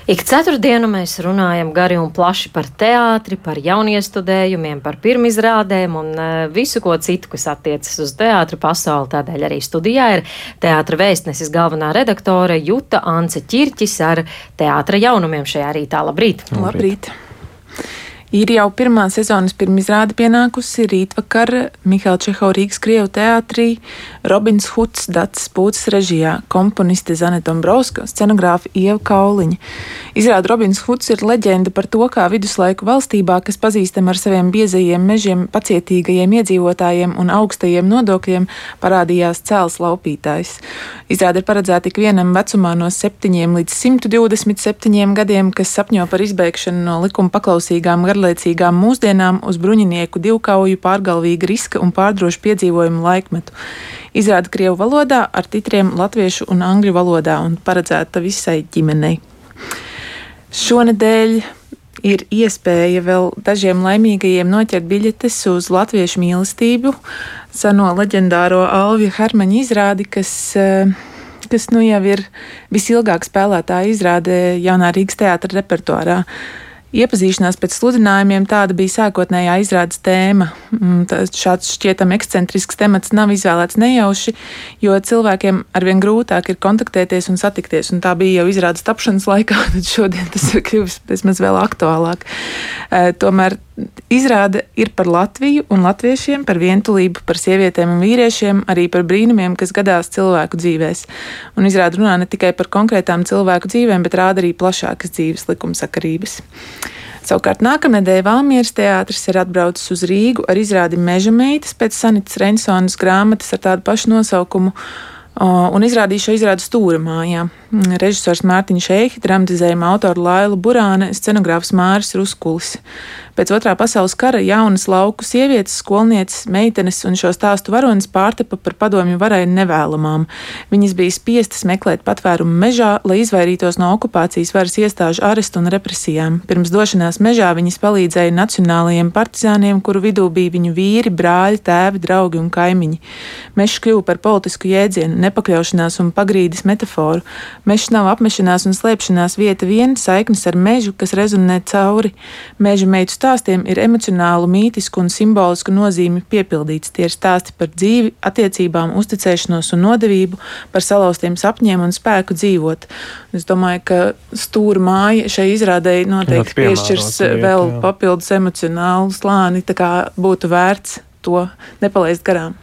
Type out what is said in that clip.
Ik ceturtdienu mēs runājam gari un plaši par teātri, par jauniestudējumiem, par pirmizrādēm un visu ko citu, kas attiecas uz teātru pasauli. Tādēļ arī studijā ir Teātra vēstneses galvenā redaktore Juta Ance Ķirķis ar teātra jaunumiem šajā rītā. Labrīt! Labrīt! Ir jau pirmā sezonas pirmizrāde pienākusi rītvakar Mihaila Čehova Rīgas Krievu teātrī, Robins Huds Dacis Pūces režijā, komponiste Zane Dombrovska, scenogrāfa Ieva Kauliņa. Izrāda Robins Huds ir leģenda par to, kā viduslaiku valstībā, kas pazīstama ar saviem biezajiem mežiem, pacietīgajiem iedzīvotājiem un augstajiem nodokļiem, parādījās cēls laupītājs. Izrāde ir paredzēta ik vienam vecumā no 7 līdz 127 gadiem, kas sapņo par izbēgšanu no likuma paklausīgām garlaicīgām mūsdienām uz bruņinieku divkauju, pārgalvīga riska un pārdrošu piedzīvojumu laikmetu. Izrāda krievu valodā ar titriem latviešu un angļu valodā un paredzēta visai ģimenei. Šonedēļ ir iespēja vēl dažiem laimīgajiem noķert biļetes uz latviešu mīlestību, seno leģendāro Alvija Hermaņa izrādi, kas nu jau ir visilgāk spēlētā izrāde Jaunā Rīgas teātra repertuārā. Iepazīšanās pēc sludinājumiem tāda bija sākotnējā izrādes tēma. Šāds šķietami ekscentrisks temats nav izvēlēts nejauši, jo cilvēkiem arvien grūtāk ir kontaktēties un satikties, un tā bija jau izrādes tapšanas laikā, tad šodien tas ir kļuvis vismaz vēl aktuālāk. Tomēr izrāde ir par Latviju un latviešiem, par vientulību, par sievietēm un vīriešiem, arī par brīnumiem, kas gadās cilvēku dzīvēs. Un izrāde runā ne tikai par konkrētām cilvēku dzīvēm, bet rāda arī plašākas dzīves likumsakarības. Savukārt nākamnedēļ Valmieras teātris ir atbraucis uz Rīgu ar izrādi Meža meitas pēc Sanitas Rensonas grāmatas ar tādu pašu nosaukumu un izrādīja šo izrādi Stūra mājā. Režisors Mārtiņš Eihi, dramatizējuma autora Laila Burāne, scenogrāfs Māris Ruskulis. Pēc Otrā pasaules kara jaunas lauku sievietes, skolnieces, meitenes un šo stāstu varonis pārtapa par padomju varai nevēlamām. Viņas bija spiestas meklēt patvērumu mežā, lai izvairītos no okupācijas varas iestāžu arestu un represijām. Pirms došanās mežā viņas palīdzēja nacionālajiem partizāniem, kuru vidū bija viņu vīri, brāļi, tēvi, draugi un kaimiņi. Mežs kļuva par politisku jēdzienu, nepakļaušanās un pagrīdes metaforu. Mežs nav apmešanās un slēpšanās vieta vien, saiknes ar mežu, kas rezonē cauri. Meža meitu stāstiem ir emocionālu, mītisku un simbolisku nozīmi piepildīts. Tie ir stāsti par dzīvi, attiecībām, uzticēšanos un nodevību, par salauztiem sapņiem un spēku dzīvot. Es domāju, ka Stūra māja šai izrādēji noteikti piešķirs vēl papildus emocionālu slāni, tā kā būtu vērts to nepalaist garām.